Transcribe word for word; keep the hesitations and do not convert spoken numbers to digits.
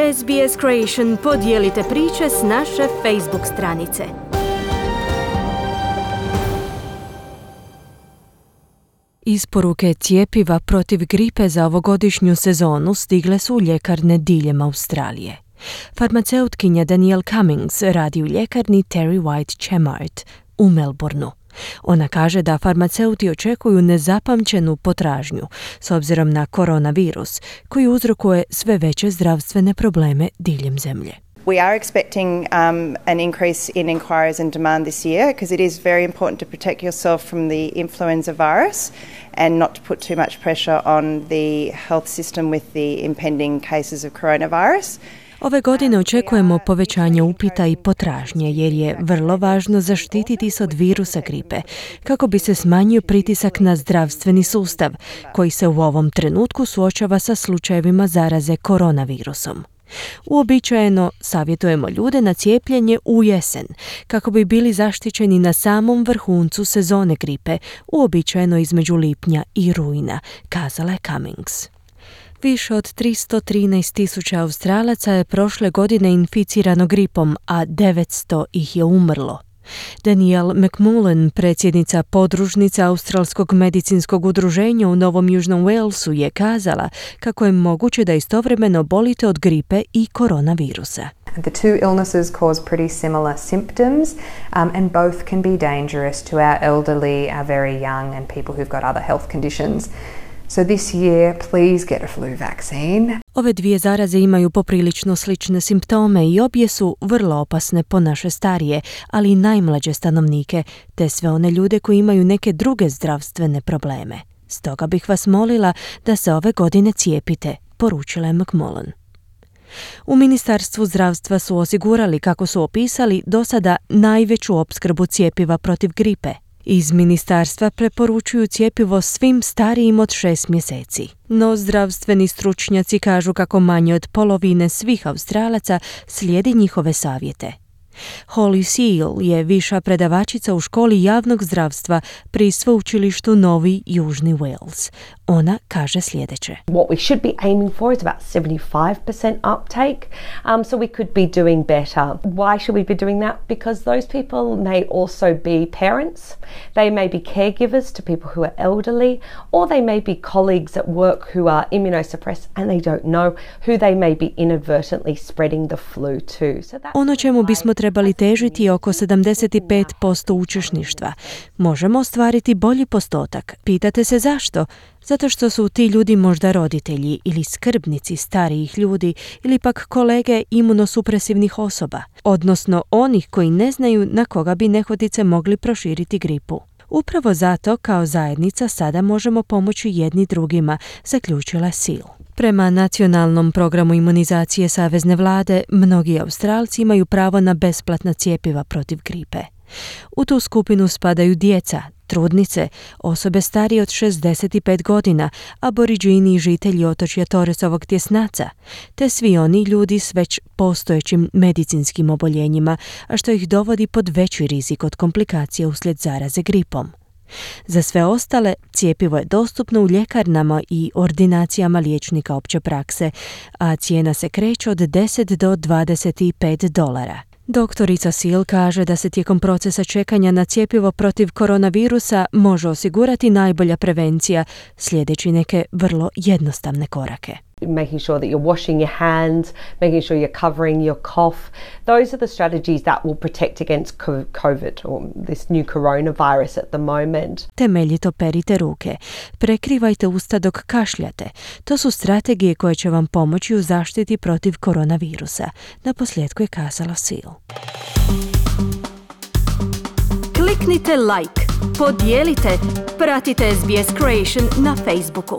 S B S Creation podijelite priče s naše Facebook stranice. Isporuke cjepiva protiv gripe za ovogodišnju sezonu stigle su u ljekarne diljem Australije. Farmaceutkinja Danielle Cummings radi u ljekarni Terry White Chemart u Melbourneu. Ona kaže da farmaceuti očekuju nezapamćenu potražnju s obzirom na koronavirus koji uzrokuje sve veće zdravstvene probleme diljem zemlje. We are expecting um, an increase in inquiries and demand this year because it is very important to protect yourself from the influenza virus and not to put too much pressure on the health system with the impending cases of coronavirus. Ove godine očekujemo povećanje upita i potražnje jer je vrlo važno zaštititi se od virusa gripe kako bi se smanjio pritisak na zdravstveni sustav koji se u ovom trenutku suočava sa slučajevima zaraze koronavirusom. Uobičajeno savjetujemo ljude na cijepljenje u jesen kako bi bili zaštićeni na samom vrhuncu sezone gripe, uobičajeno između lipnja i rujna, kazala je Cummings. Više od tristo trinaest tisuća Australaca je prošle godine inficirano gripom, a devetsto ih je umrlo. Danielle McMullen, predsjednica podružnica Australskog medicinskog udruženja u Novom Južnom Walesu, je kazala kako je moguće da istovremeno bolite od gripe i koronavirusa. The two illnesses cause pretty similar symptoms um, and both can be dangerous to our elderly, our very young and people who've got other health conditions. So this year, please get a flu vaccine. Ove dvije zaraze imaju poprilično slične simptome i obje su vrlo opasne po naše starije, ali i najmlađe stanovnike, te sve one ljude koji imaju neke druge zdravstvene probleme. Stoga bih vas molila da se ove godine cijepite, poručila je McMullen. U Ministarstvu zdravstva su osigurali, kako su opisali, do sada najveću opskrbu cjepiva protiv gripe. Iz ministarstva preporučuju cjepivo svim starijim od šest mjeseci. No zdravstveni stručnjaci kažu kako manje od polovine svih Australaca slijedi njihove savjete. Holly Seal je viša predavačica u školi javnog zdravstva pri sveučilištu Novi Južni Wales. Ona kaže sljedeće. What we should be aiming for is about seventy-five percent uptake, um, so we could be doing better. Why should we be doing that? Because those people may also be parents, they may be caregivers to people who are elderly, or they may be colleagues at work who are immunosuppressed and they don't know who they may be inadvertently spreading the flu to. So that's ono čemu bismo trebali težiti je oko sedamdeset pet posto učešništva. Možemo ostvariti bolji postotak. Pitate se zašto? Zato što su ti ljudi možda roditelji ili skrbnici starijih ljudi ili pak kolege imunosupresivnih osoba, odnosno onih koji ne znaju na koga bi nehotice mogli proširiti gripu. Upravo zato kao zajednica sada možemo pomoći jedni drugima, zaključila Seal. Prema nacionalnom programu imunizacije Savezne vlade, mnogi Australci imaju pravo na besplatna cjepiva protiv gripe. U tu skupinu spadaju djeca, trudnice, osobe starije od šezdeset pet godina, aboriđini i žitelji otočja Torresovog tjesnaca, te svi oni ljudi s već postojećim medicinskim oboljenjima, a što ih dovodi pod veći rizik od komplikacija uslijed zaraze gripom. Za sve ostale, cjepivo je dostupno u ljekarnama i ordinacijama liječnika opće prakse, a cijena se kreće od deset do dvadeset pet dolara. Doktorica Seal kaže da se tijekom procesa čekanja na cjepivo protiv koronavirusa može osigurati najbolja prevencija, sljedeći neke vrlo jednostavne korake. Making sure that you're washing your hands, making sure you're covering your cough. Those are the strategies that will protect against COVID or this new coronavirus at the moment. Temeljito perite ruke. Prekrivajte usta dok kašljate. To su strategije koje će vam pomoći u zaštiti protiv koronavirusa. Naposljetku je kazala Seal. Kliknite like, podijelite, pratite S B S Creation na Facebooku.